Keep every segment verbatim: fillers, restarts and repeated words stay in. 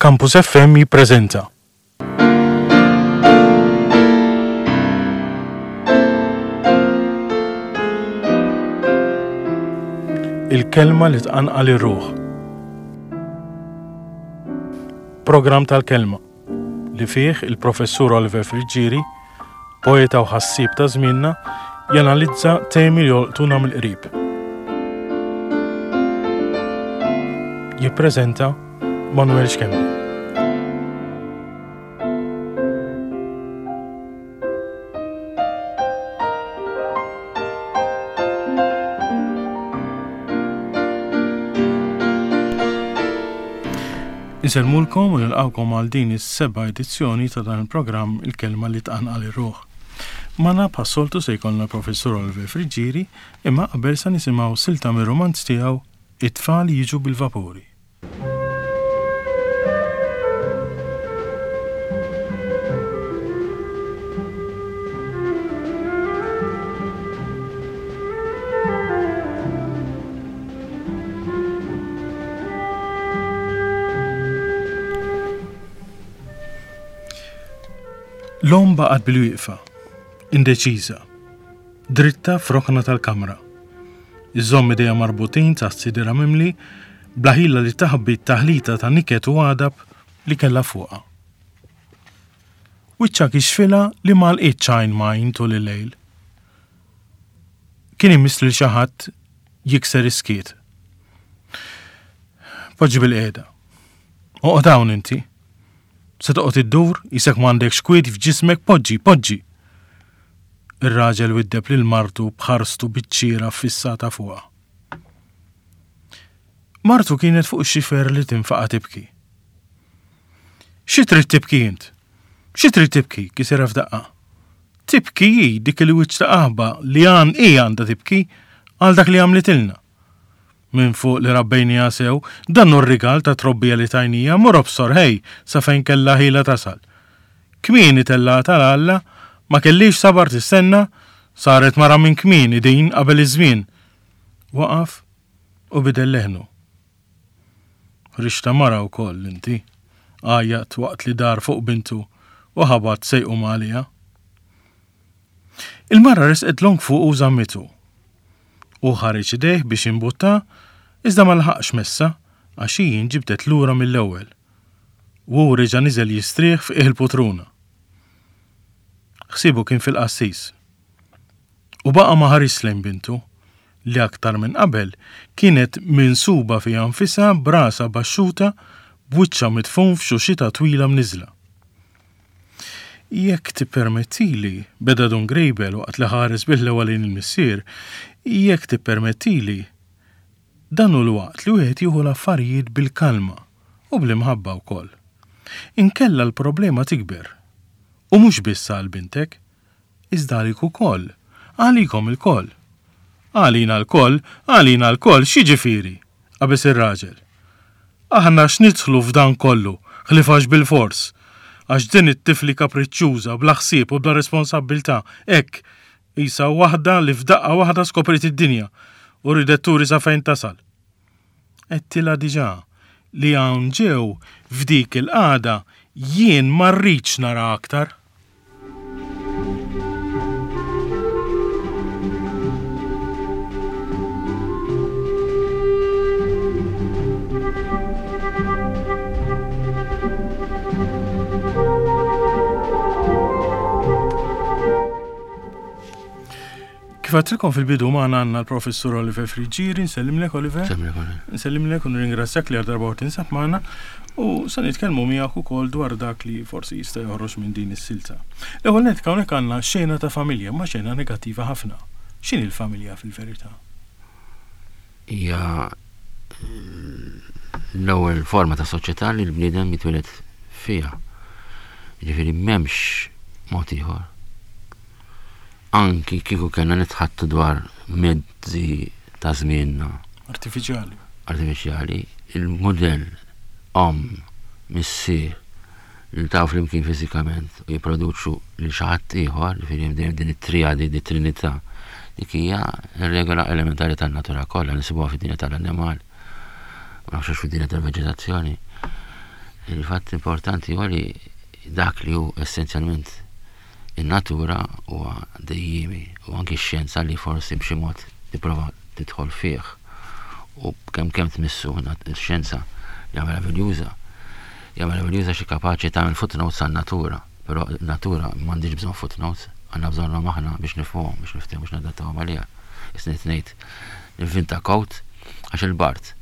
Campus F M jippreżenta Il-kelma li tqanqal ir-ruħ. Programm tal-kelma li fih il-professur Oliver Friggieri, poeta u ħassieb ta' żmienna, janalizza temi li jolqtuna mill-qrib. Jippreżenta Manuel Schembri. Insellmulkom u nilqawkom għal din is-seba' edizzjoni ta' dan il-programm Il-Kelma li tqanqal ir-ruħ. Magħna bħas-soltu se jkollna professur Oliver Friggieri, imma qabel sa nisimgħu silta mir-rumanz tiegħu It-tfal jiġu bil-vapuri. L-omm baqgħet bil-wieqfa, indeċiża, dritta f'rokna tal-kamra. Iżomm idejha marbutin taħt sidira mimli, bla ħila li taħbi t-taħlita ta' niket u għadab li kellha fuqha. Wiċċha kixfilha li ma lqitx għajn m'għajn tul il-lejl. Kien imiss lil xi ħadd jikser is-skiet. Poġġi bil-qiegħda. Oqgħod hawn inti. Se toqgħod iddur, isek m'għandekx kwiet f'ġismek, poġġi, poġġi. Ir-raġel widdeb lil martu b'ħarstu biċ-ċiera ffissata fuqha. Martu kienet fuq ix-xifer li tinfaqa' tibki. Xi trid tibki int? Xi trid tibki? Kisirha f'daqqa. Tibki hi dik il-wiċċ ta' qaħba li għan hi għandha tibki għal dak li għamlitilna. Minn fuq li rabbejniha sew, dan hu r-rigal ta' trobbija li tajnija, mur obsor ħej sa fejn kellha ħila tasal. Kmieni tellgħatha għal Alla, ma kellix sabar tistenna, saret mara minn kmieni din qabel iż-żmien. Waqaf u bidel leħnu. Ħriġta mara wkoll inti, għajjat waqt li dar fuq bintu u ħabat sejqu għaliha. Il-mara resqet long fuq u żammitu. U ħareġ idejh biex imbutta, iżda ma laħaqx messa għax hi nġibdet lura mill-ewwel. U hu reġa' niżel jistrieħ f'qiegħ il-putruna. Ħsiebu kien fil-qassis. U baqa' ma ħares lejn bintu, li aktar minn qabel kienet minsuba fiha nfisha b'rasha baxxuta b'wiċċha midfun f'xuxita twila mniżla. Jekk tippermettili, beda Dun Grejbel waqt li ħares bil-ħlewa lejn il-missier, jekk tippermettili, dan hu l-waqt li wieħed jieħu l-affarijiet bil-kalma u bl-imħabba wkoll. Inkella l-problema tikber. U mhux biss għal bintek, iżda għalik ukoll, għalikom ilkoll. Għalina lkoll, għalina lkoll, x'jiġifieri? Qabeż ir-raġel. Aħna x'nidħlu f'dan kollu, ħlief għax bil-fors. Għax din it-tifli kapriċċjuża, bla ħsieb u bla responsabbiltà, hekk, qisha waħda li f'daqqa waħda skopriet id-dinja u ridet turi sa fejn tasal. Għedtilha diġà li hawn ġew f'dik il-qagħda jien ma rridx nara aktar. Kif għedtilkom fil-bidu magħna għandna l-professur Oliver Friggieri, nsellimlek Oliver. Nsellimlek Oliver. Nsellimlek u nirringrazzjak li għal darba tinsab magħna u se nitkellmu miegħek ukoll dwar dak li forsi jista' joħroġ minn din is-silta. L-ewwel nett hawnhekk għandna xena ta' familja, ma xena negattiva ħafna. X'inhi l-familja fil-verità? Hija l-ewwel forma ta' soċjetà li l-bniedem jitwieled fiha. Jiġifieri m'hemmx mod ieħor. Anki kieku kellna nitħattu dwar mezzi ta' żmienna. Artifiċjali. Artifiċjali, il-mudell omm, missier, li taw flimkien fiżikament u jipproduċu lil xi ħadd ieħor, jiġifieri hemm dejjem din it-triadi, din it-trinità, dik hija r-regola elementari tan-natura kollha, nisibuha fid-dinja tal-annimal, ma nafx fid-dinja tal-veġetazzjoni. Il-fatt importanti huwa li dak li hu essenzjalment in-natura huwa dejjiemi u anki x-xjenza li forsi b'xi mod tipprova tidħol fih u kemm kemm tmissu x-xjenza hija meraviljuża. Hija meraviljuża xi kapaċi tagħmel footnotes għan-natura, però natura m'għandix bżonn footnotes, għandna bżonnhom aħna biex nifhmuhom, biex niftehmu, biex nadattawhom għaliha. Isnit ngħid nivvinta coat għax il-bard.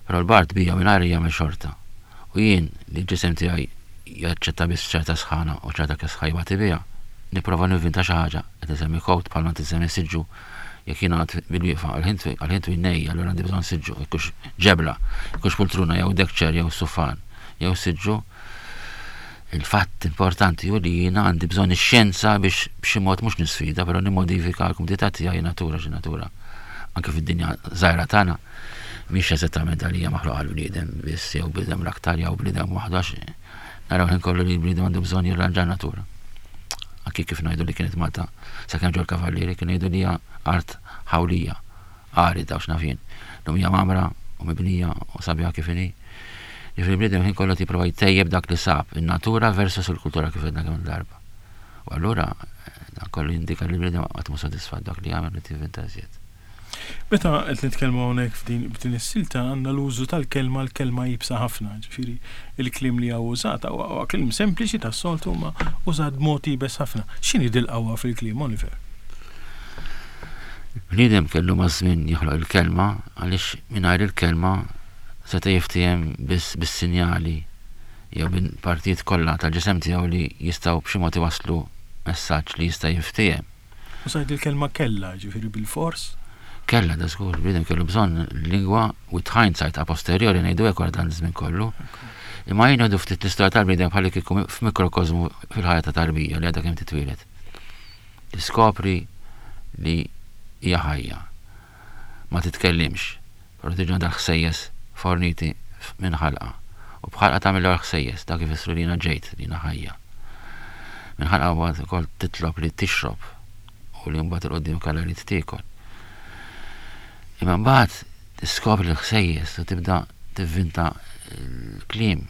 Però l-bard bija mingħajr jagħmel xorta. U jien li l-ġisem tiegħi jaċċetta biss ċerta sħana u ċerta kesħa jbati biha, nipprova nivvinta xi ħaġa, qed insemmi coat bħalma tisemmi siġġu. Jekk jiena bil-wieqfa għal-ħin twil nejja, allura għandi bżonn siġġu, jekkux ġebla, jekkux pultruna jew deck chair jew sufan jew siġġu. Il-fatt importanti hu li jiena għandi bżonn ix-xjenza biex b'xi mod mhux nisfida, però nimmodifika l-kumdità tiegħi natura xi natura. Anke fid-dinja żgħira tagħna mhix eżattament għalija maħluqa għall-bniedem biss jew bniedem l-aktar jew bniedem waħdu, għax naraw ħin kollu li l-bniedem għandu bżonn jirranġa natura. Anki kif ngħidu li kienet Malta sakemm ġew l-kavallieri, kienu jgħidu li hija art ħawlija, arida u x'naf jien. Lum hija mamra u mibnija u sabiħa kif inhi. Ġifieri l-bniedem ħin kollu jipprova jtejjeb dak li sab, in-natura versus il-kultura kif għedna kemm darba. U allura dan kollu jindika li l-bniedem qatt mhu sodisfatt dak li jagħmel li tivvinta iżjed. Meta qed nitkellmu hawnhekk f'din b'din is-silta għandna l-użu tal-kelma, l-kelma iebsa ħafna, ġifieri il-kliem li hawn użat huwa kliem sempliċi tas-soltu ma użat b'mod iebes ħafna. X'inhi dil-qawwa fil-kliem, Oliver? Bniedem kellu maż-żmien joħloq il-kelma għaliex mingħajr il-kelma seta' jiftiehem biss bis-sinjali jew bil-partijiet kollha tal-ġisem tiegħu li jistgħu b'xi mod iwasslu messaġġ li jista' jiftiehem. Użajt il-kelma kella, ġifieri bil-fors? Kella, da żgur, bniedem kellu bżonn lingwa with hindsight, a posteriori ngħidu hekk wara dan iż-żmien kollu. Imma jien ngħidu ftit l-istorja tal-bniedem bħalli kieku f'mikrokosmu fil-ħajja ta' tarbija li għadha kemm titwieled. Tiskopri li hija ħajja. Ma titkellimx, però tiġi għandha ħsejjes forniti minn ħalqa. U b'ħalqa tagħmel l ħsejjes, dak ifissru li jiena ġejt, li jiena ħajja. Minn ħalqa mbagħad ukoll titlob li tixrob u li mbagħad 'il quddiem kellha li tiekol. Imma mbagħad tiskopri l-ħsejjes u tibda tivvinta l-kliem.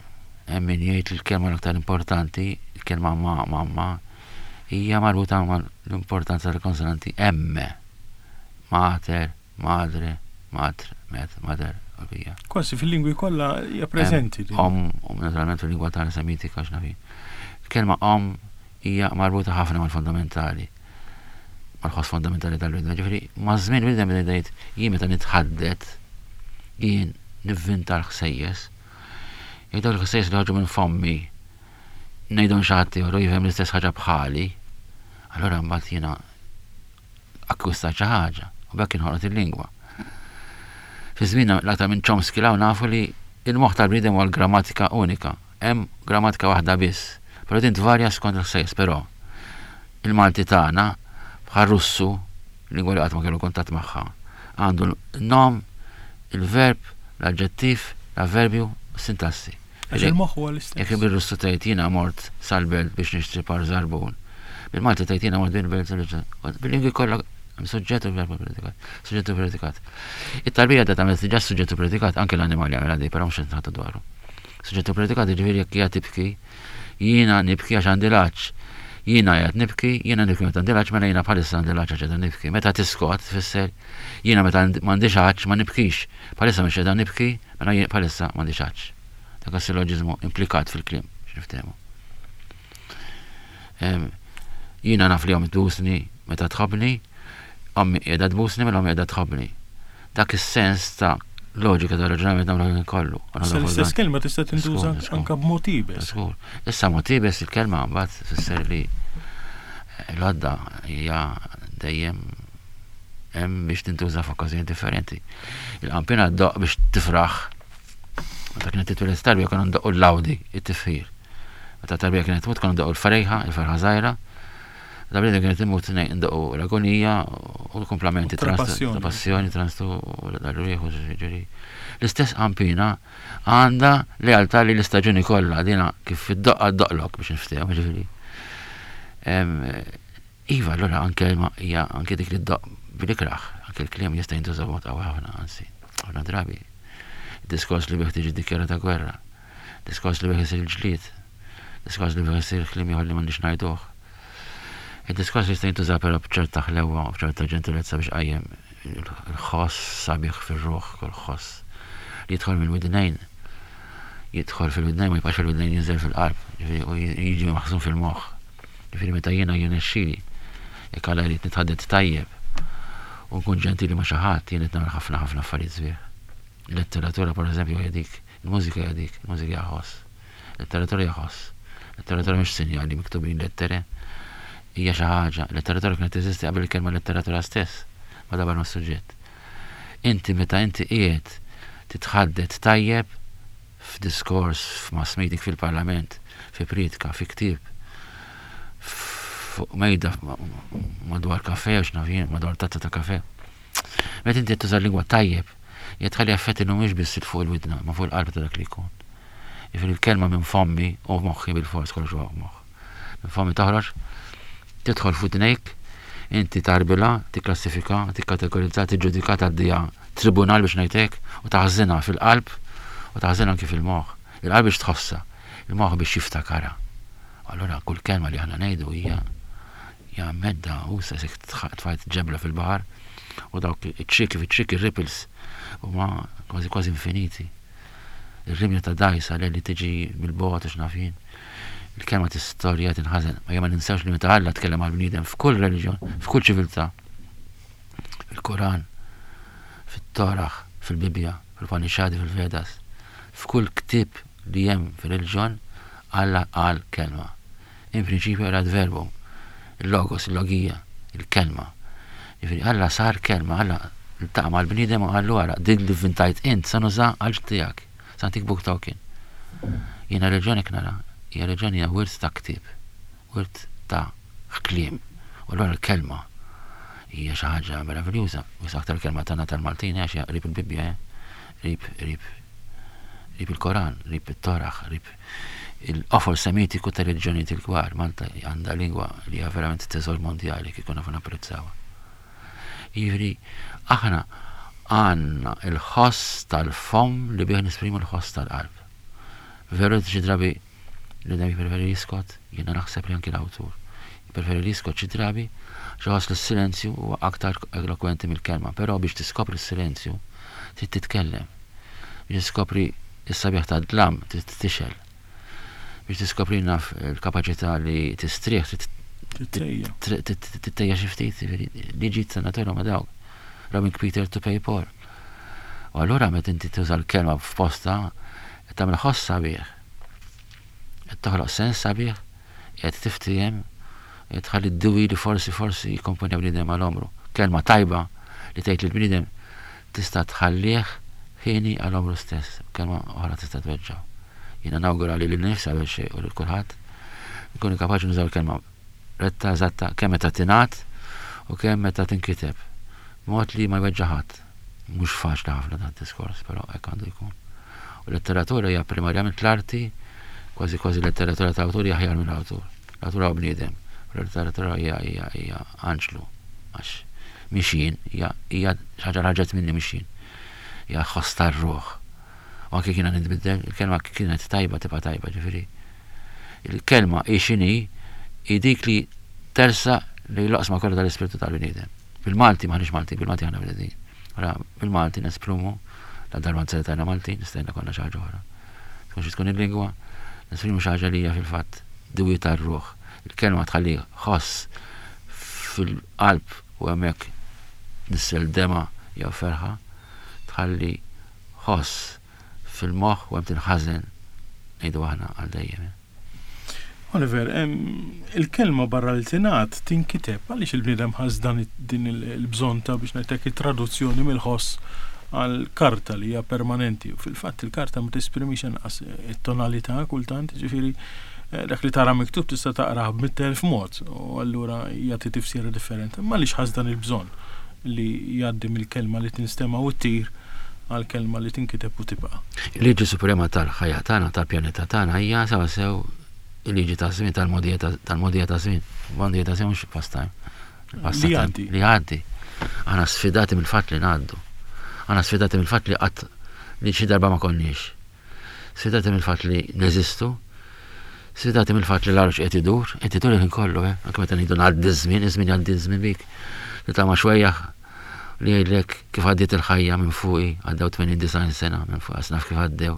Hemm min jgħid li l-kelma l-aktar importanti, il-kelma ma, mamma, hija marbuta mal l-importanza tal-konsonanti M. Mater, madre, madre, met, mater, u bija. Kważi fil-lingwi kollha hija preżenti. Om, om naturalment fil-lingwa tagħna Semitika x'naf jien. Il-kelma om hija marbuta ħafna mal-fundamentali, mal-ħoss fundamentali tal-bniedem. Ġifieri, maż-żmien bniedem beda jgħid jien meta nitħaddet, jien nivvinta l-ħsejjes. Jekk dawk il-ħsejjes li ħarġu minn fommi ngħidhom xi ħadd ieħor u jifhem l-istess ħaġa bħali, allura mbagħad jiena akkwistat xi ħaġa u b'hekk inħolqot il-lingwa. Fi żmienna l-aktar minn Chomsky law nafu li il-moħħ tal-bniedem huwa l-grammatika unika. Hemm grammatika waħda biss, però din tvarja skont il-ħsejjes, però il-Malti tagħna bħal Russu, lingwa li qatt ma kellu kuntatt magħha, għandu l-nom, il-verb, l-aġġettiv, l-avverbju, s-sintassi. Għax il-moħħ huwa l-istess. Jekk bil-Russu tgħid jiena mort sal-belt biex nixtri par żarbun. Bil-Malti tgħid jiena mort bil-belt sal-belt. Bil-lingwi kollha hemm suġġett u verb u predikat. Suġġett u predikat. It-tarbija ta' tagħmel diġà suġġett u predikat, anke l-annimali jagħmel għadi, però mhux qed nħattu dwaru. Suġġett u predikat jiġifieri jekk hija tibki, jiena nibki għax għandi l-għatx. Jiena qiegħed nibki, jiena nibki meta għandi l-għatx, mela jiena bħalissa għandi l-għatx għax qiegħda nibki. Meta tiskot tfisser jiena meta m'għandix għatx ma nibkix. Bħalissa mhux qiegħda nibki, mela jien bħalissa m'għandix għatx. Dak is-silloġiżmu implikat fil-kliem, x'niftehmu. Jiena naf li ommi tbusni meta tħobbni, ommi qiegħda tbusni mela ommi qiegħda tħobbni. Dak is-sens ta' loġika ta' raġunament nagħmlu kollu. Issa l-istess kelma tista' tintuża anke b'mod iebes. Żgur. Issa mod iebes il-kelma mbagħad tfisser li l-għodda hija dejjem hemm biex tintuża f'okkażjoni differenti. Il-qampina ddoqq biex tifraħ. Meta kienet titwieled tarbija konna ndoqqu l-lawdi, it-tifħir. Meta tarbija kienet tmut konna ndoqqu l-farejħa, il-farħa żgħira. Meta bniedem kienet imut ndoqqu l-agonija u l-komplamenti U trapassjoni. trapassjoni, transtu u l-rieħ u ġifieri. L-istess qampina għandha lealtà li l-istaġuni kollha dina kif id-doqqa ddoqlok biex niftehmu, ġifieri. Iva, allura anke ma hija anke dik li ddoqq bil-ikraħ, anke l-kliem jista' jintuża b'mod qawwi ħafna, anzi, ħafna drabi. Diskors li bih tiġi dikjarata gwerra. Diskors li bih isir il-ġlied. Diskors li bih isir kliem ieħor li m'għandniex ngħiduh. Il-diskors jista' jintuża però b'ċerta ħlewwa u b'ċerta ġentilezza biex qajjem il-ħoss sabiħ fir-ruħ, kull ħoss li jidħol mill-widnejn jidħol fil-widnejn ma jibqax fil-widnejn jinżel fil-qalb, ġifieri u jiġi maħżun fil-moħħ. Ġifieri meta jiena jirnexxieli, jekk Alla jrid nitħaddet tajjeb u nkun ġentili ma' xi ħadd, jien qed nagħmel ħafna ħafna affarijiet sbieħ. Il-letteratura pereżempju hija dik, il-mużika hija dik, il-mużika hija ħoss. Letteratura hija ħoss. Letteratura mhix sinjali miktubin lettere, hija xi ħaġa. Letteratura kienet teżisti qabel il-kelma letteratura stess, ma dabar ma' suġġett. Inti meta inti qiegħed titħaddet tajjeb f'diskors, f'mass meeting fil-parlament, fi priedka, fi ktieb, fuq mejda madwar kafe, u x'naf jien, madwar tazza ta' kafe. Meta inti tuża lingwa tajjeb, qed tħalli effetti mhumiex biss fuq il-widna, ma fuq il-qalb ta' dak li jkun. Jiġifieri l-kelma minn fommi u moħħi bil-fors kollox huwa moħħ. Minn fommi toħroġ, tidħol f'widnejk, inti tarbila, tikklassifika, tikkategorizza, tiġġudika, tgħaddiha tribunal biex ngħidlek u taħżinha fil-qalb u taħżinha anki fil-moħħ. Il-qalb biex tħossha, il-moħħ biex jiftakarha. Allura kull kelma li aħna ngħidu hija hija medda u se tfajt ġebla fil-baħar u dawk iċ-ċriki fiċ-ċriki ripples huma kważi kważi infiniti. Ir-rimja ta' dajsa li tiġi mill-bogħod u x'naf jien. Il-kelma tistorja tinħażen. Ma ma ninsewx li meta Alla tkellem għall-bniedem f'kull reliġjon, f'kull ċiviltà, fil-Koran, fit-Torah, fil-Bibbja, fil-Upanishadi, fil-Vedas, f'kull ktieb li hemm fil-reliġjon, Alla qal kelma. In prinċipju erat verbum, il-logos, il-logija, il-kelma. Jiġifieri Alla sar kelma, Alla ltaqa' mal-bniedem u qallu ara, din li vvintajt int sa nuża għal tiegħek, sa ntik book token. Jiena reliġjon hekk nara, hija reliġjon hija wirt ta' ktieb, wirt ta' kliem. U allura l-kelma hija xi ħaġa meraviljuża. Wis aktar kelma tagħna tal-Maltin għax hija qrib il-Bibbja, qrib qrib qrib il-Koran, qrib it-Torah, qrib il-qofol semitiku ta' reliġjonijiet il-kbar. Malta għandha lingwa li hija verament teżor mondjali kif nafu napprezzawha. Jiġifieri aħna għandna il-ħoss tal-fomm li bih nesprimu l-ħoss tal-qalb. Veru xi drabi li dan jippreferi jiskot, jiena naħseb li anki l-awtur. Jippreferi jiskot xi drabi, xi ħoss li s-silenzju huwa aktar elokwenti mill-kelma, però biex tiskopri s-silenzju trid titkellem. Biex tiskopri s-sabiħ tad-dlam trid tixgħel. Biex tiskopri naf il-kapaċità li tistrieħ Tittejja. tittejja xi ftit, liġi ta' natura ma dawk. Robbing Peter to pay Paul. U allura meta inti tuża l-kelma f'posta, qed tagħmel ħoss sabiħ. Qed toħloq sens sabiħ, qed tiftiehem, qed tħalli d-diwi li forsi forsi jikkomponja bniedem għal għomru. Kelma tajba li tgħid lill-bniedem tista' tħallih ħieni għal għomru stess, kelma oħra tista' tweġġgħu. Jiena nawgura li lil nifsi qabel xejn u lil kulħadd nkunu kapaċi nużaw il-kelma retta, eżatta, kemm meta tingħad u kemm meta tinkiteb. Mod li ma jweġġa' ħadd. Mhux faċli ħafna dan diskors, però hekk għandu jkun. U letteratura hija primarjament l-arti, kważi kważi letteratura ta' awtur hija aħjar mill-awtur. L-awtur huwa bniedem, u letteratura hija hija hija anġlu għax mhix jien, hija hija xi ħaġa ħarġet minni mhix jien. Hija ħoss tar-ruħ. U anke kiena nitbiddel, il-kelma kienet tajba tibqa' tajba, ġifieri. Il-kelma hi x'inhi hi dik li tersa li l-oqsma kollha tal-ispirtu tal-bniedem. Bil-Malti m'aħniex Malti, bil-Malti aħna bnedmin. Ora bil-Malti nesprumu, la darba nzertajna Malti, nistajna konna xi ħaġa oħra. Tkun xi tkun il-lingwa, nesprimu xi ħaġa li hija fil-fatt diwi tar-ruħ. Il-kelma tħalli ħoss fil-qalb u hemmhekk nissel dema jew ferħa, tħalli ħoss fil-moħħ u hemm tinħażen ngħidu aħna għal dejjem. Oliver, il-kelma barra li tingħad tinkiteb, għaliex il-bniedem ħass dan din il-bżonn ta' biex ngħidlek it-traduzzjoni mill-ħoss għal karta li hija permanenti. U fil-fatt il-karta ma tesprimix anqas it-tonalità kultant, ġifieri dak li tara miktub tista' taqrah b'mitt elf mod u allura jagħti tifsira differenti. Ma għaliex ħass dan il-bżonn li jgħaddi mill-kelma li tinstema' u ttir għal kelma li tinkiteb u tibqa'. Il-liġi suprema tal-ħajja tagħna, tal-pjaneta tagħna hija sewwasew il-liġi ta' żmien tal-mogħdija tal-mogħdija ta' żmien. Mogħdija ta' żmien mhux pastime. Li jgħaddi. Li jgħaddi. Aħna sfidati mill-fatt li ngħaddu. Aħna sfidati mill-fatt li qatt li xi darba ma konniex. Sfidati mill-fatt li neżistu, sfidati mill-fatt li l-arġ qed idur, qed idur il-ħin kollu, eh? Anke meta ngħidu ngħaddi ż-żmien, iż-żmien jgħaddi ż-żmien bik. Li ta' ma' xwejjaħ li jgħidlek kif għaddiet il-ħajja minn fuqi, għaddew tmenin disgħin sena minn fuqi, għas naf kif għaddew.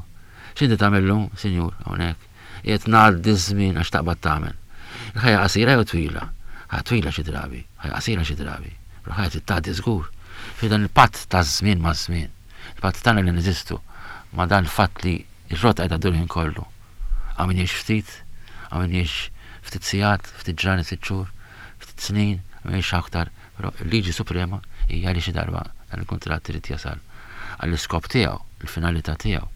X'inti tagħmel llum, sinjur, hawnhekk? Qiegħed ngħaddi ż-żmien għax taqbad tagħmel. Il-ħajja qasira jew twila? Ħajja twila xi drabi, ħajja qasira xi drabi. Però ħajja trid tgħaddi żgur. Fi dan il-patt taż-żmien maż-żmien, il-patt tagħna li neżistu ma' dan il-fatt li r-rota qiegħda ddur il-ħin kollu. Hawn min jgħix ftit, hawn min jgħix ftit sigħat, ftit ġranet, ftit xhur, ftit snin, hawn min jgħix aktar. Però il-liġi suprema hija li xi darba dan il-kuntratt irid jasal għall-iskop tiegħu, il-finalità tiegħu.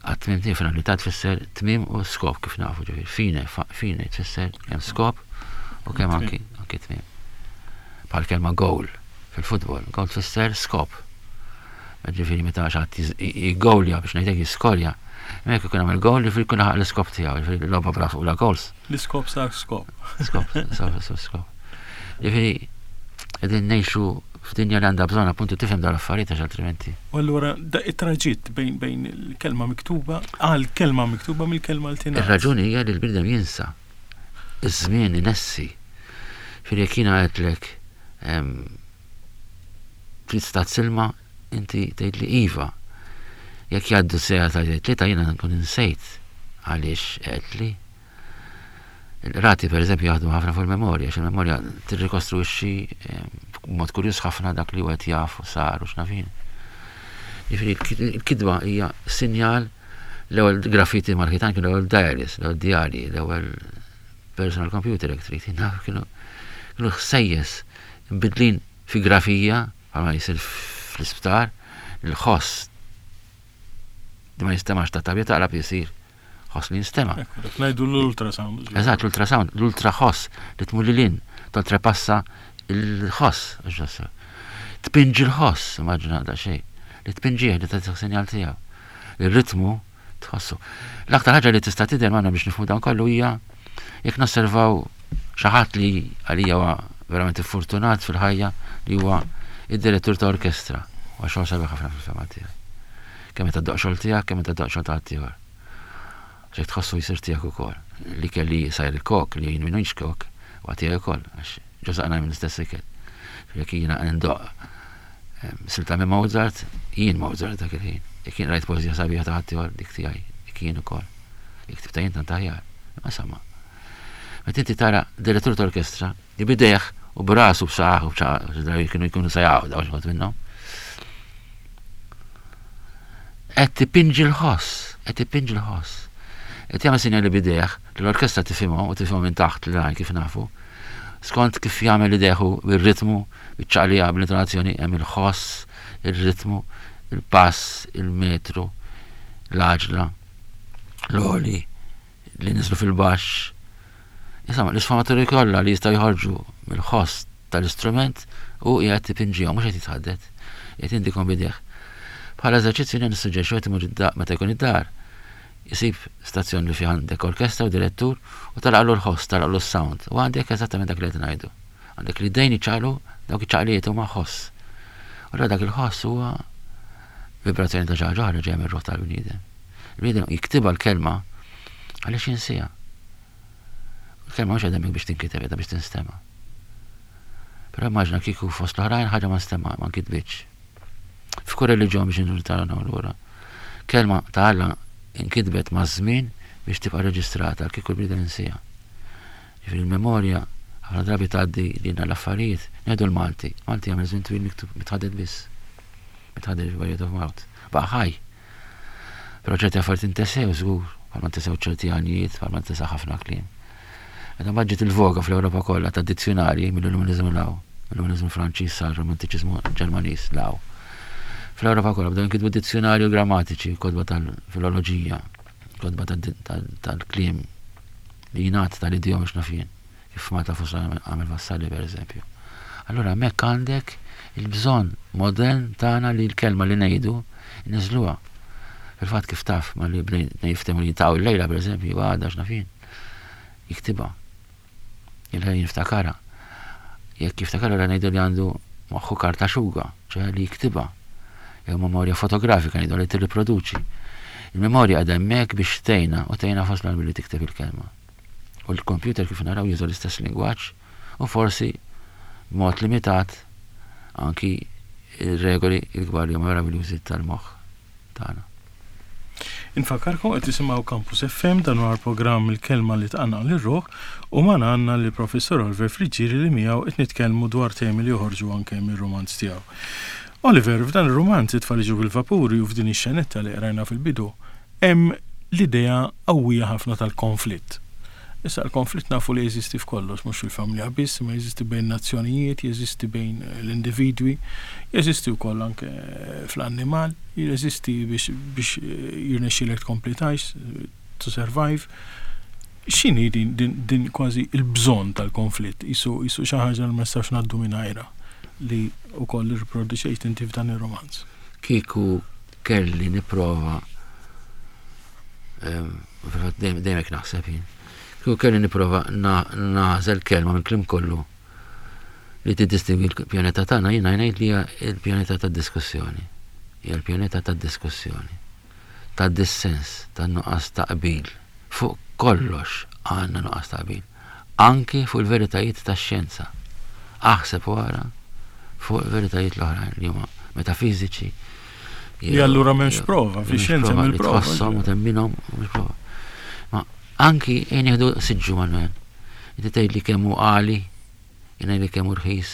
Għat-tmiem tiegħu, finalità tfisser tmiem u skop kif nafu, ġifieri fine, fine tfisser kemm skop u kemm anki, anki tmiem. Bħal kelma goal fil-futbol, goal tfisser skop. Ġifieri meta xi ħadd jiggowlja biex ngħidlek jiskorja, hemmhekk ikun għamel goal, ġifieri jkun laħaq l-iskop tiegħu, ġifieri logħba bla fuq la goals. L-iskop sar skop. Skop, skop, skop, skop. Ġifieri qegħdin ngħixu f'dinja li għandha bżonn appuntu tifhem dawn l-affarijiet għax altrimenti. U allura da it-traġitt bejn, bejn il-kelma miktuba għal kelma miktuba mill-kelma l tingħad. Ir-raġuni hija li l-bniedem jinsa. Iż-żmien inessi. Ġifieri jekk jiena għedtlek trid stat silma, inti tgħid li iva. Jekk jgħaddu sejja ta' tlieta jiena nkun insejt għaliex għedtli. Il-rati per eżempju jaħdmu ħafna fuq il-memorja, għax il-memorja tirrikostruixxi b'mod kurjuż ħafna dak li wieħed jaf u sar u x'nafin. Jiġifieri il-kitba hija sinjal l-ewwel graffiti mal-ħitan kienu l-ewwel diaries, l-ewwel diarji, l-ewwel personal computer jekk trid. Naf kienu kienu ħsejjes imbidlin fi grafija bħalma jsir fl-isptar, il-ħoss li ma jistemax ta' tabja taqlab jisir ħoss li jinstema'. Ekku, dak ngħidu l-ultrasound. Eżatt, l-ultrasound, l-ultraħoss li tmur lil hinn, toltrepassa il-ħoss, ġossa. Tpinġi l-ħoss, immaġina da xejn, li tpinġih li tagħti sinjal tiegħu. Il-ritmu tħossu. L-aktar ħaġa li tista' tidher magħna biex nifhmu dan kollu hija jekk nosservaw xi ħadd li għalija huwa verament fortunat fil-ħajja li huwa id-direttur ta' orkestra. Huwa xogħol sabiħ ħafna fil-fema tiegħi. Kemm meta ddoqq xogħol tiegħek, kemm meta ddoqq xogħol ta' ħaddieħor. Ġejk tħossu jsir tiegħek ukoll. Li kelli sajr il-kok, li jien minux kok, huwa tiegħi ukoll, għax ġo saqna minn istess ikel. Jekk jiena ndoqq silta minn Mozart, jien Mozart dak il-ħin. Jekk jien rajt poeżija sabiħa ta' ħaddieħor, dik tiegħi, dik jien ukoll. Jekk tibta jien tant aħjar. Ma insomma. Meta inti tara direttur ta' orkestra li bidejh u brasu b'saħħ u b'ċaq, drabi kienu jkunu sejjaw daw xi minnhom. Qed tipinġi l-ħoss, qed tipinġi l-ħoss. Qed jagħmel sinjali bidejh li l-orkestra tifhimhom u tifhimhom minn taħt l-għajn kif nafu. Skont kif jagħmel idejh bir-ritmu, biċ-ċaqlija, bl-intonazzjoni, hemm il-ħoss, ir-ritmu, il-pass, il-metru, l-għaġla, l-għoli, li niżlu fil-baxx. Insomma, l-isfumaturi kollha li jistgħu jħorġu mill-ħoss tal-istrument u qiegħed tipinġihom, mhux qed jitħaddet, qiegħed jindikom bidejh. Bħala eżerċizzju jien nissuġġerixxi qed imur id-dar meta jkun id-dar, isib stazzjon li fih għandek orkestra u direttur u talaqlu l-ħoss, talaqlu s-sound. U għandek eżattament dak li qed ngħidu. Għandek li dejn iċaqlu dawk iċ-ċaqlijiet huma ħoss. U allura dak il-ħoss huwa vibrazzjoni ta' xi ħaġa oħra ġejja mir-ruħ tal-bniedem. Il-bniedem jiktibha l-kelma għaliex jinsiha. Il-kelma mhux qiegħda biex tinkiteb, qiegħda biex tinstema'. Però immaġina kieku fost l-oħrajn ħaġa ma nstema', ma nkitbitx. F'kull reliġjon biex nirritornaw lura. Kelma ta' Alla inkitbet maż-żmien biex tibqa' reġistrata kieku l-bniedem insiha. Ġifieri il-memorja ħafna drabi tgħaddi lilna l-affarijiet. Ngħidu l-Malti. Malti jagħmel żmien twil miktub mitħaddet biss. Mitħaddet by word of mouth. Baqa' ħaj. Però ċerti affarijiet intesew żgur, bħalma intesew ċerti għanijiet, bħalma intesa ħafna kliem. Meta mbagħad ġiet il-voga fl-Ewropa kollha ta' dizzjonarji mill-Illuminizmu law, mill-Illuminizmu Franċiż sar Romantiċiżmu Ġermaniż law. Fl-Ewropa kollha bdew jinkitbu dizzjonarju grammatiċi, kotba tal-filoloġija, kotba tal-kliem li jingħad tal-idjom biex naf jien, kif Malta fost għamel Vassalli per eżempju. Allura hemmhekk għandek il-bżonn modern tagħna li l-kelma li ngħidu niżluha. Fil-fatt kif taf ma li bdejna jiftehmu li jintaqgħu l-lejla per eżempju, għadha x'naf jien. Jiktibha. Il-ħin jiftakara. Jekk jiftakara ra ngħidu li għandu moħħu karta xuga, ċoħe li jiktibha. Jew memorja fotografika ngħidu li tirriproduċi. Il-memorja għadha hemmhekk biex tgħinna u tgħinna fost billi tikteb il-kelma. U l-computer kif naraw juża l-istess lingwaġġ u forsi b'mod limitat anki il-regoli il-kbar li huma meraviljużi tal-moħħ tagħna. Infakkarkom qed tisimgħu Campus F M, dan huwa l-programm Il-Kelma li Tqanqal ir-Ruħ u magħna għandna li Professor Oliver Friggieri li miegħu qed nitkellmu dwar temi li joħorġu anke mir-romanz tiegħu. Oliver, f'dan ir-romanz It-Tfal Jiġu bil-Vapuri u f'din ix-xenetta li qrajna fil-bidu, hemm l-idea qawwija ħafna tal-konflitt. Issa l-konflitt nafu li jeżisti f'kollox, mhux fil-familja biss, ma jeżisti bejn nazzjonijiet, jeżisti bejn l-individwi, jeżisti wkoll anke fl-annimal, jeżisti biex, biex jirnexxilek tkompli tgħix, to survive. X'inhi din, din, din kważi il-bżonn tal-konflitt, qisu qisu xi ħaġa li ma nistax ngħaddu mingħajrha li wkoll irriproduċejt inti f'dan ir-romanz? Kieku kelli nipprova, fil-fatt dejjem hekk naħseb jien, kieku kelli nipprova nagħżel kelma minn kliem kollu li tiddistingwi l-pjaneta tagħna, jiena ngħid li hija l-pjaneta tad-diskussjoni. Hija l-pjaneta tad-diskussjoni. Tad-dissens, tan-nuqqas ta' qbil. Fuq kollox għandna nuqqas ta' qbil. Anki fuq il-veritajiet tax-xjenza. Aħseb wara fuq il-veritajiet l-oħrajn li huma metafiżiċi. Li allura m'hemmx prova, fix-xjenza hemm il-prova. Tħosshom u temminhom u mhux prova. Ma anki jien nieħdu siġġu, Manuel. Inti tgħid li kemm hu għali, jien ngħid li kemm hu rħis.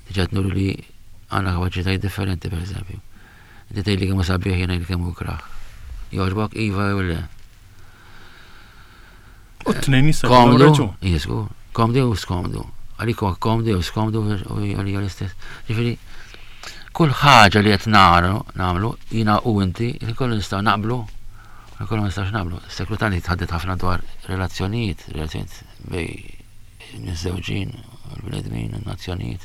Diġà nuru li għandna kapaċitajiet differenti, pereżempju. Inti tgħid li kemm hu sabiħ, jien ngħid li kemm hu ikrah. Jogħġbok, iva jew le? U t-tnejn jista' jkollhom Komdu, raġun. Jesku, komdu u skomdu. Għalik huwa komdu jew skomdu u għalija l-istess. Ġifieri, kull ħaġa li qed naru, nagħmlu, jiena u inti, li kollu nistgħu naqblu, u kollu ma nistgħux naqblu. Seklu tani tħadded ħafna dwar relazzjonijiet, relazzjonijiet bejn miżżewġin, l-bnedmin, n-nazzjonijiet.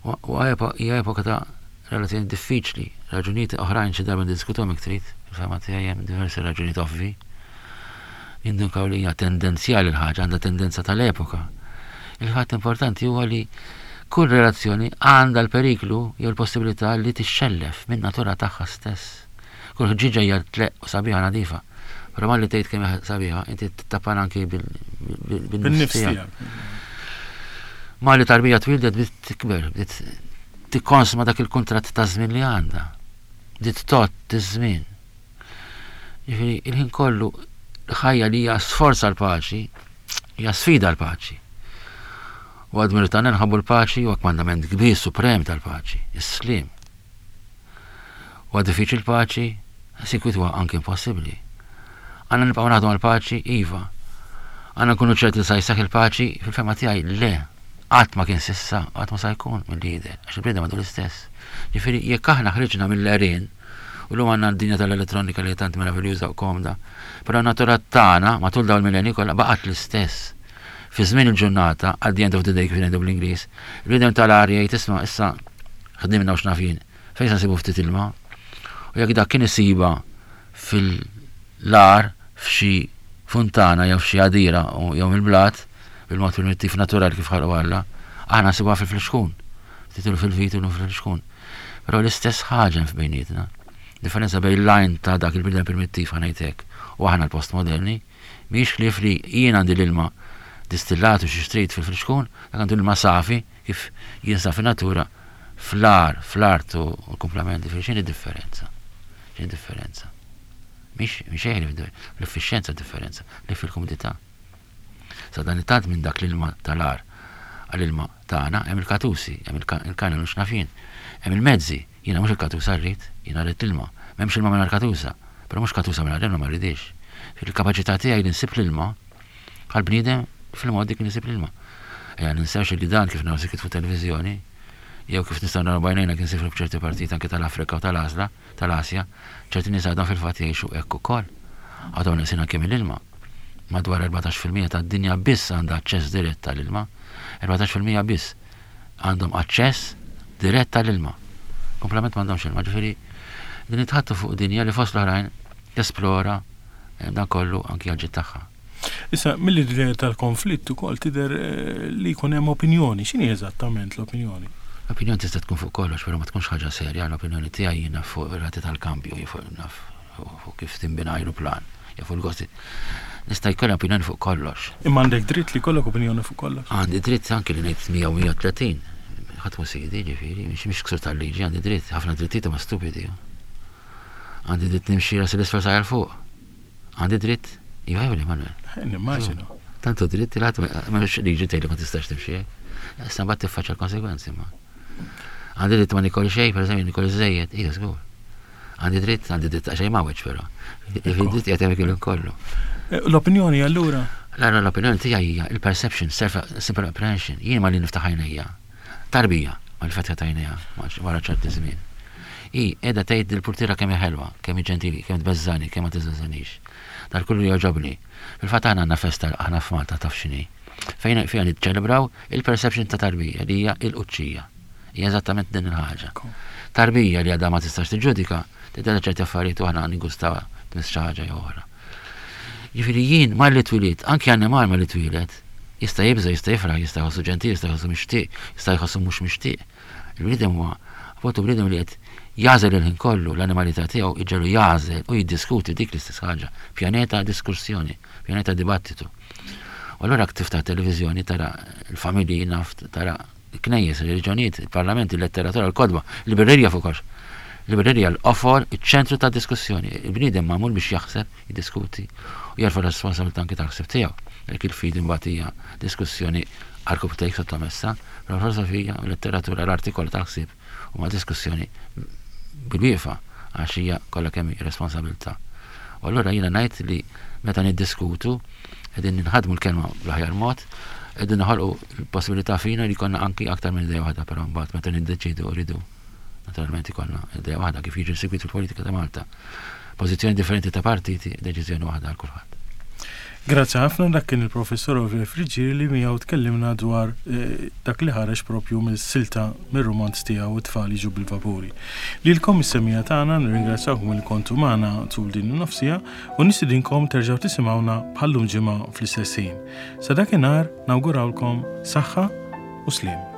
U hija epoka ta' relazzjoni diffiċli, raġunijiet oħrajn xi darba ndiskutuhom jekk trid, fil-fehma tiegħi hemm diversi raġunijiet ovvi. Jindunkaw li hija tendenzjali l-ħaġa, għandha tendenza tal-epoka. Il-fatt importanti huwa li kull relazzjoni għandha l-periklu jew l-possibilità li tixxellef minn natura tagħha stess. Kull ħġiġa hija tleqq u sabiħa nadifa. Però malli tgħid kemm hija sabiħa, inti tittappan anki bil-nifs Bin-nifs tiegħek. tiegħek. Malli tarbija twildet bdiet tikber, bdiet tikkonsma dak il-kuntratt ta' żmien li għandha. Bdiet tgħodd iż-żmien. Jiġifieri il-ħin kollu ħajja li hija sforza l-paċi, hija sfida l-paċi. U għad tagħna nħabbu l-paċi u kmandament kbir suprem tal-paċi, is-slim. U għad diffiċli l-paċi, sikwit huwa anke impossibbli. Għandna nibqgħu naħdmu għall-paċi, iva. Għandna nkunu ċerti li sa jseħħ il-paċi, fil-fehma tiegħi le. Qatt ma kien s'issa, qatt ma sa jkun mill-lider, għax il-bniedem għadu l-istess. Ġifieri jekk aħna ħriġna mill-għerien, u llum għandna d-dinja tal-elettronika li tant meraviljuża u komda, però natura tagħna matul dawn il-millenni kollha baqgħet l-istess. Fi żmien il-ġurnata, at the end of the day kif ngħidu bl-Ingliż, il-bniedem tal-arja jgħid, "Isma', issa ħdimna u x'naf jien, fejn se nsibu ftit ilma?" U jekk dak kien isiba fil-għar f'xi funtana jew f'xi għadira jew mill-blat, bil-mod primittiv naturali kif ħalqu Alla, aħna nsibuha fil-flixkun. Titlu fil-vit u fil-flixkun. Però l-istess ħaġa hemm f'bejnietna. Differenza bejn l-għajn ta' dak il-bniedem primittiv, ħa ngħidlek, u aħna l-postmoderni, mhix ħlief li jien għandi l-ilma distillat u xi xtrid fil-flixkun, dak għandu l-ilma safi kif jinsab fin-natura fl-ar, fl-art u l-komplementi, x'inhi differenza? X'inhi differenza? Mhix mhix xejn l-effiċjenza differenza, li fil-komodità. Sa dan it-tant minn dak l-ilma tal-għar għall-ilma tagħna hemm il-katusi, hemm il-kanal u x'naf jien, hemm il-mezzi, jiena mhux il-katusa rrid, jiena rrid l-ilma. M'hemmx ilma mingħajr katusa, però mhux katusa mingħajr ilma ma rridix. Fil-kapaċità tiegħi li nsib l-ilma bħal bniedem fil-modi kien nisib l-ilma. Ejja ninsewx li dan kif naraw fuq televiżjoni, jew kif nistgħu naraw b'għajnejna kien sifru f'ċerti partijiet anke tal-Afrika u tal-Asla, tal-Asja, ċerti nies għadhom fil-fatt jgħixu hekk ukoll. Għadhom neqsin anke mill-ilma. Madwar erbatax fil-mija tad-dinja biss għandha aċċess dirett tal-ilma. erbatax fil-mija biss għandhom aċċess dirett tal-ilma. Komplement m'għandhomx ilma, ġifieri din nitħaddtu fuq dinja li fost l-oħrajn tesplora eh, dan kollu anki għal tagħha. Issa, mill-idea tal-konflitt ukoll tidher eh, li jkun hemm opinjoni. X'inhi eżattament l-opinjoni? L-opinjoni tista' tkun fuq kollox, però ma tkunx ħaġa serja. L-opinjoni tiegħi jiena fuq ir-rati tal-kambju, fuq naf fuq kif tinbina ajruplan, jew fuq il-gosti. Nista' jkolli opinjoni fuq kollox. Imma għandek dritt li jkollok opinjoni fuq kollox. Għandi dritt anki li ngħid mija u mija u tletin. Ħadd mhu sidi, ġifieri, mhix mhix ksur tal-liġi, għandi dritt, ħafna drittijiet huma stupidi. Għandi dritt nimxi ras l-isfel sajjar fuq. Għandi dritt, iva jew le, Manuel? Nimmaġinu. Tantu dritt li ħadd m'hemmx liġi tgħidli ma tistax timxi hekk. Issa mbagħad tiffaċċja l-konsegwenzi ma. Għandi dritt ma nikol xejn, pereżempju nikol iżejjed, iva żgur. Għandi dritt, għandi dritt xejn ma weġġ però. Il-dritt qiegħed hemmhekk il kollu. L-opinjoni allura? La, la, l-opinjoni tiegħi hija il-perception, self simple apprehension. Jien ma li niftaħ għajnejja. Tarbija, ma li fetħet għajnejha wara ċerti żmien. I qiegħda tgħid il-purtiera kemm hi ħelwa, kemm hi ġentili, kemm tbeżżani, kemm ma tiżżanix. Dal kullu jogħġobni. Fil-fatt aħna għandna festa aħna f'Malta taf x'inhi. Fejn fiha niċċelebraw il-perception ta' tarbija li hija il-quċċija. Hija eżattament din il-ħaġa. Tarbija li għadha ma tistax tiġġudika, tidher ċerti affarijiet u aħna nigustawha tmiss xi ħaġa jew oħra. Jiġifieri jien malli twilit, anki annimal malli twilet, jista' jibża', jista' jifraħ, jista' jħossu ġentil, jista' jħossu mixtieq, jista' jħossu mhux mixtieq. Il-bniedem huwa appuntu bniedem li qed jagħżel il-ħin kollu l-animalità tiegħu iġegħlu jagħżel u jiddiskuti dik l-istess ħaġa. Pjaneta diskussjoni, pjaneta dibattitu. U allura jekk tiftaħ televiżjoni tara l-familji naf tara il-knejjes, il-reliġjonijiet, il-parlament, il-letteratura, il-kotba, il-librerija fuq kollox. Il-librerija l-qofol, iċ-ċentru ta' diskussjoni. Il-bniedem magħmul biex jaħseb, jiddiskuti u jerfa' responsabilità anki tal-ħsieb tiegħu. Dik il-fidi mbagħad hija diskussjoni għarkupptejk sottomessa, però l-filosofija, l-letteratura, l-arti kollha tal-ħsieb huma diskussjoni bil-wieqfa għax hija kollha kemm hi responsabilità. U allura jiena ngħid li meta niddiskutu qegħdin ninħadmu l-kelma bl-aħjar mod, qegħdin noħolqu l-possibilità fina li jkollna anki aktar minn idea waħda, però mbagħad meta niddeċidu rridu naturalment ikollna idea waħda kif jiġi segwit fil-politika ta' Malta. Pożizzjoni differenti ta' partiti, deċiżjoni waħda għal kulħadd. Grazzi ħafna, dak kien il-professor Oliver Friggieri li miegħu tkellimna dwar eh, dak li ħareġ propju mill-silta mir-romanz tiegħu It-tfal jiġu bil-vapuri. Lilkom is-semmiegħa tagħna nirringrazzjawkom li kontu magħna tul din in-nofsija u nistidinkom terġgħu tisimgħuna bħallum ġimgħa fl-istess ħin. Sa dakinhar nawgurawlkom saħħa u sliem.